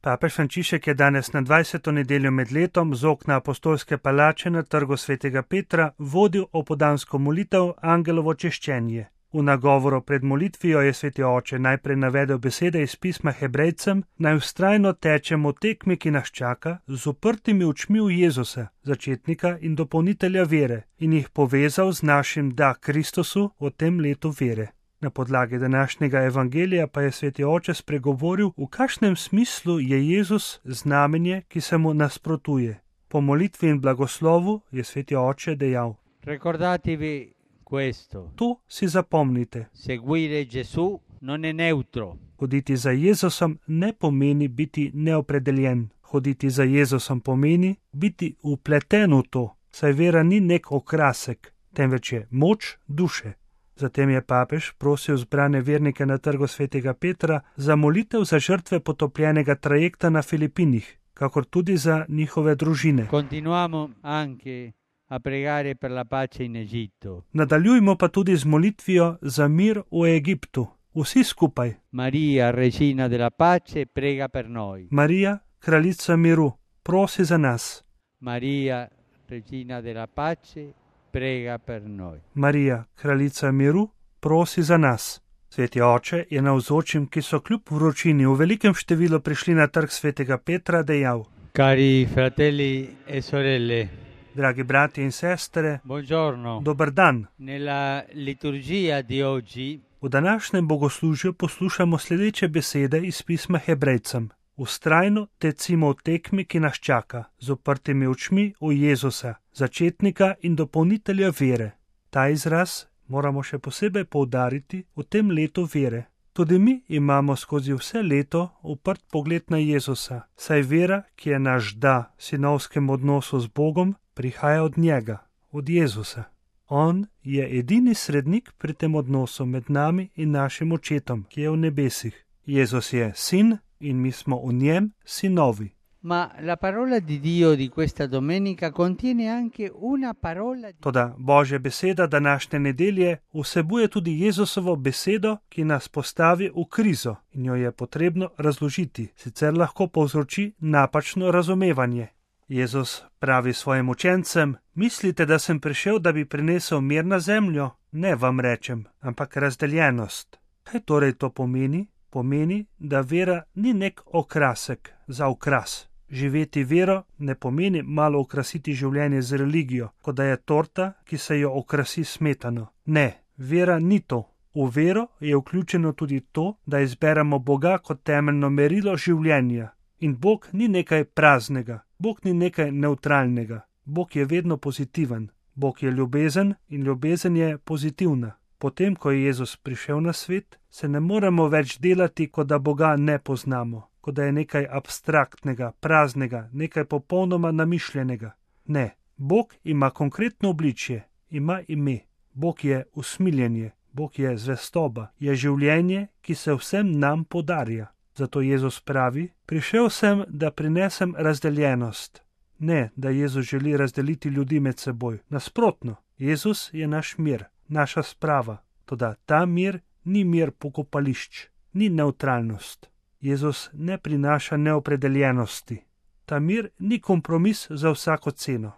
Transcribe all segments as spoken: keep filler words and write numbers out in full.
Papež Frančišek je danes na dvajseto nedeljo med letom z okna apostolske palače na trgu svetega Petra vodil opoldansko molitev Angelovo češčenje. V nagovoru pred molitvijo je sveti oče najprej navedel besede iz pisma Hebrejcem, naj vztrajno tečemo v tekmi, ki nas čaka, z uprtimi očmi v Jezusa, začetnika in dopolnitelja vere, in jih povezal z našim da Kristusu v tem letu vere. Na podlagi današnjega evangelija pa je sveti oče spregovoril, v kakšnem smislu je Jezus znamenje, ki se mu nasprotuje. Po molitvi in blagoslovu je sveti oče dejal: Ricordatevi questo. To si zapomnite. Seguire Gesù non è neutro. Hoditi za Jezusom ne pomeni biti neopredeljen. Hoditi za Jezusom pomeni biti upleten v to, saj vera ni nek okrasek, temveč je moč duše. Zatem je papež prosil zbrane vernike na trgu svetega Petra za molitev za žrtve potopljenega trajekta na Filipinih, kakor tudi za njihove družine. Continuamo anche a pregare per la pace in Egitto. Nadaljujmo pa tudi z molitvijo za mir v Egiptu. Vsi skupaj. Maria, regina della pace, prega per noi. Marija, kraljica miru, prosi za nas. Maria, regina della pace, prega per noi. Marija, kraljica miru, prosi za nas. Sveti oče je navzočim, ki so kljub vročini v velikem številu prišli na trg svetega Petra, dejal: Cari fratelli e sorelle, dragi brati in sestre, buongiorno. Dober dan. Nella liturgia di oggi v današnjem bogoslužju poslušamo sledeče besede iz pisma Hebrejcem. Vztrajno tecimo v tekmi, ki nas čaka, z uprtimi očmi v Jezusa, začetnika in dopolnitelja vere. Ta izraz moramo še posebej poudariti v tem letu vere. Tudi mi imamo skozi vse leto uprt pogled na Jezusa, saj vera, ki je naš da sinovskem odnosu z Bogom, prihaja od njega, od Jezusa. On je edini srednik pri tem odnosu med nami in našim očetom, ki je v nebesih. Jezus je sin in mi smo v njem sinovi. Ma la parola di Dio di questa domenica contiene anche una parola di... Toda Božja beseda današnje nedelje vsebuje tudi Jezusovo besedo, ki nas postavi v krizo in jo je potrebno razložiti, sicer lahko povzroči napačno razumevanje. Jezus pravi svojim učencem: mislite, da sem prišel, da bi prinesel mir na zemljo? Ne vam rečem, ampak razdeljenost. Kaj torej to pomeni? Pomeni, da vera ni nek okrasek za okras. Živeti vero ne pomeni malo okrasiti življenje z religijo, kot da je torta, ki se jo okrasi smetano. Ne, vera ni to. V vero je vključeno tudi to, da izberemo Boga kot temeljno merilo življenja. In Bog ni nekaj praznega, Bog ni nekaj nevtralnega. Bog je vedno pozitiven. Bog je ljubezen in ljubezen je pozitivna. Potem, ko je Jezus prišel na svet, se ne moremo več delati, kot da Boga ne poznamo, kot da je nekaj abstraktnega, praznega, nekaj popolnoma namišljenega. Ne, Bog ima konkretno obličje, ima ime. Bog je usmiljenje, Bog je zvestoba, je življenje, ki se vsem nam podarja. Zato Jezus pravi: prišel sem, da prinesem razdeljenost. Ne, da Jezus želi razdeliti ljudi med seboj. Nasprotno, Jezus je naš mir, naša sprava. Toda ta mir ni mir pokopališč, ni nevtralnost. Jezus ne prinaša neopredeljenosti. Ta mir ni kompromis za vsako ceno.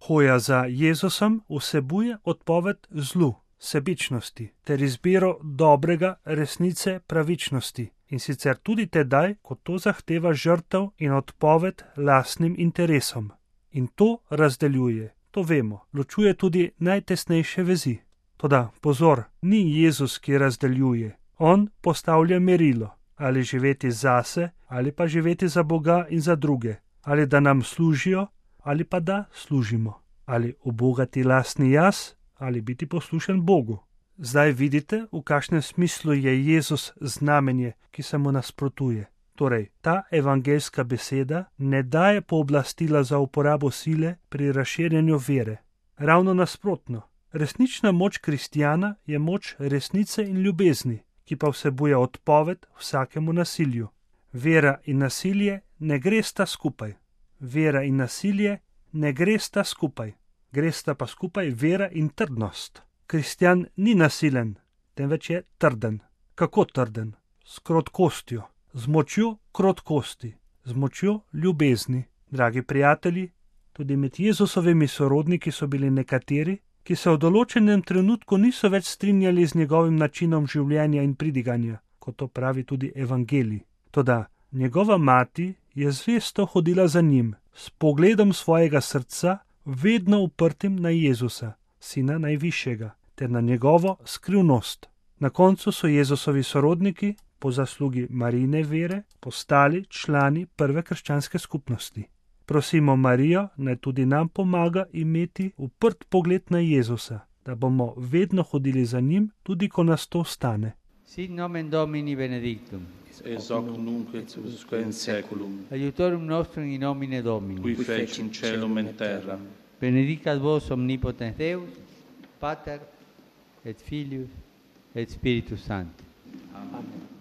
Hoja za Jezusom vsebuje odpoved zlu, sebičnosti ter izbiro dobrega, resnice, pravičnosti. In sicer tudi tedaj, ko to zahteva žrtev in odpoved lastnim interesom. In to razdeljuje, to vemo, ločuje tudi najtesnejše vezi. Toda pozor, ni Jezus, ki razdeljuje. On postavlja merilo, ali živeti zase, ali pa živeti za Boga in za druge, ali da nam služijo, ali pa da služimo, ali ubogati lastni jaz, ali biti poslušen Bogu. Zdaj vidite, v kakšnem smislu je Jezus znamenje, ki se mu nasprotuje. Torej, ta evangeljska beseda ne daje pooblastila za uporabo sile pri razširjanju vere. Ravno nasprotno. Resnična moč kristjana je moč resnice in ljubezni, ki pa vsebuje odpoved vsakemu nasilju. Vera in nasilje ne gresta skupaj. Vera in nasilje ne gresta skupaj. Gresta pa skupaj vera in trdnost. Kristjan ni nasilen, temveč je trden. Kako trden? S krotkostjo, z močjo krotkosti, z močjo ljubezni. Dragi prijatelji, tudi med Jezusovimi sorodniki so bili nekateri, ki se v določenem trenutku niso več strinjali z njegovim načinom življenja in pridiganja, kot to pravi tudi evangelij. Toda njegova mati je zvesto hodila za njim, s pogledom svojega srca vedno uprtim na Jezusa, Sina Najvišjega, ter na njegovo skrivnost. Na koncu so Jezusovi sorodniki, po zaslugi Marijine vere, postali člani prve krščanske skupnosti. Prosimo Marijo, naj tudi nam pomaga imeti uprt pogled na Jezusa, da bomo vedno hodili za njim, tudi ko nas to stane. Sit nomen Domini benedictum. Ex hoc nunc et usque in saeculum. Aiutorium nostrum in nomine Domini. Qui fecit caelum et terra. Benedicat vos omnipotens Deus, Pater et Filius et Spiritus Sanctus. Amen.